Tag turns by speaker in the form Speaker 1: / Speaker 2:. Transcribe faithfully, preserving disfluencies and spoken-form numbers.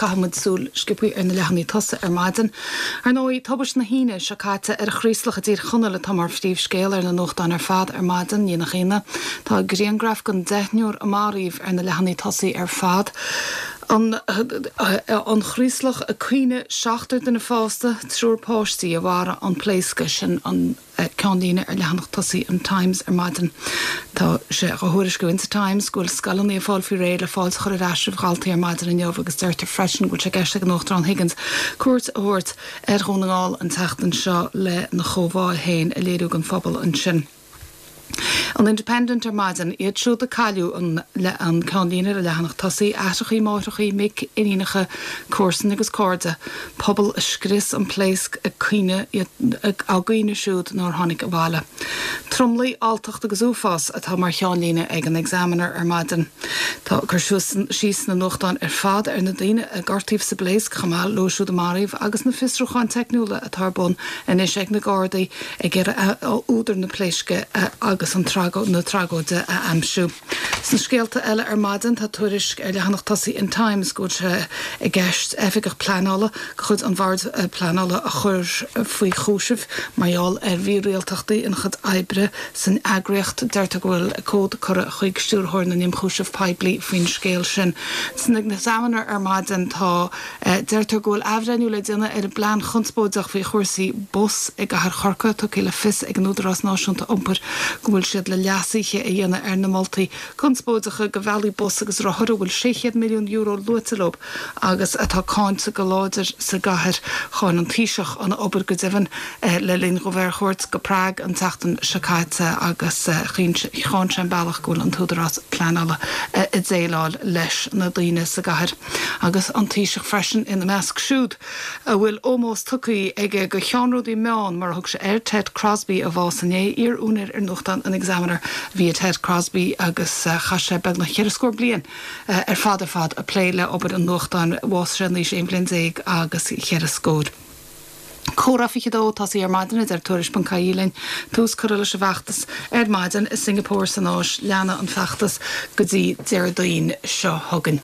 Speaker 1: Caithfidh muid súil sciobtha ar na leathanaigh tosaigh ar maidin. Ar ndóigh, tubaiste na hAoine seo caite ar an Chraoslach i dTír Chonaill atá mar phríomhscéal ar na nuachtáin ar fad ar maidin, ní nach ionadh. Tá grianghraf den deichniúr a maraíodh ar na leathanaigh tosaigh ar fad. An, an Chraoslach ag caoineadh seachtar duine fásta, triúr páistí a mharaigh an pléascadh sin an ceannlíne ar leathanach tosaigh an Times ar maidin. Tá sé á thuairisciú in sa Times go bhfuil scoileanna ag fáil faoi réir le fáilte a chur ar ais roimh dhaltaí ar maidin inniu agus deirtear freisin go bhfuil sé i gceist ag an Uachtarán Higgins cuairt a thabhairt ar Dhún na nGall an tseachtain seo lena chomhbhá féin a léiriú don phobal ansin. An Independent ar maidin, iad siúd a cailleadh an an ceannlíne ar a leathanach tosaigh, aithreacha, máithreacha, mic, iníonacha, comharsana agus cairde, pobal a scrios an pléasc ag caoineadh á gcaoineadh siúd nár tháinig abhaile. Tromluí, alltacht agus uafás atá mar cheannlíne ag an Examiner ar maidin. Tá cur síos sna nuachtáin ar fad ar na daoine a gortaíodh sa bpléasc chomh maith leo siúd a maraíodh agus na fiosrúcháin teicniúla atá ar bun anois ag na Gardaí ag iarraidh údar na pléisce agus an na tragóide a aimsiú. Sna scéalta eile ar maidin tá tuairisc ar leathanach tosaigh an Times go bhfuil sé i gceist oifigeach pleanála de chuid an Bhoird Pleanála a chur faoi chúiseamh mar gheall ar mhírialtachtaí ina chuid oibre san eagraíocht. Deirtear go bhfuil comhad curtha chuig Stiúrthóir na nImchúiseamh Poiblí faoin scéal sin. San Examiner ar maidin tá deirtear go bhfuil athbhreithniú le déanamh ar an bplean chonspóideach faoi chúrsaí bus i gcathair Chorcaí tugtha le fios ag an Údarás Náisiúnta Iompair go bhfuil siad le leasuithe a dhéanamh ar na moltaí conspóideacha do bhealaí bus agus rothar a bhfuil sé chéad milliún euro luaite leo agus atá cáinte go láidir sa gcathair. Cháin an Taoiseach an obair go deimhin le linn dó bheith ar chuairt go Prague an tseachtain seo caite agus cháin sé an bealach go bhfuil an tÚdarás Pleanála ag déileáil leis na daoine sa gcathair agus an Taoiseach freisin ina measc siúd a bhfuil ómós tugtha aige do cheannródaí meán mar a thug sé air Ted Crosby a bhásaigh inné iar-úinéir ar nuachtán an Examiner bhí Ted Crosby agus chaith sé beagnach ceithre scór bliain ar fad ar fad ag plé le obair an nuachtáin bhásaigh sé in aois aon bhliain déag agus cheithre scór. Comhrá fiche dó tosaithe ar maidin deir tuairisc ponc ie linn tús curtha leis an bhfeachtas ar maidin i Singapore san Áis leanfaidh an feachtas go dtí Déardaoin seo chugainn.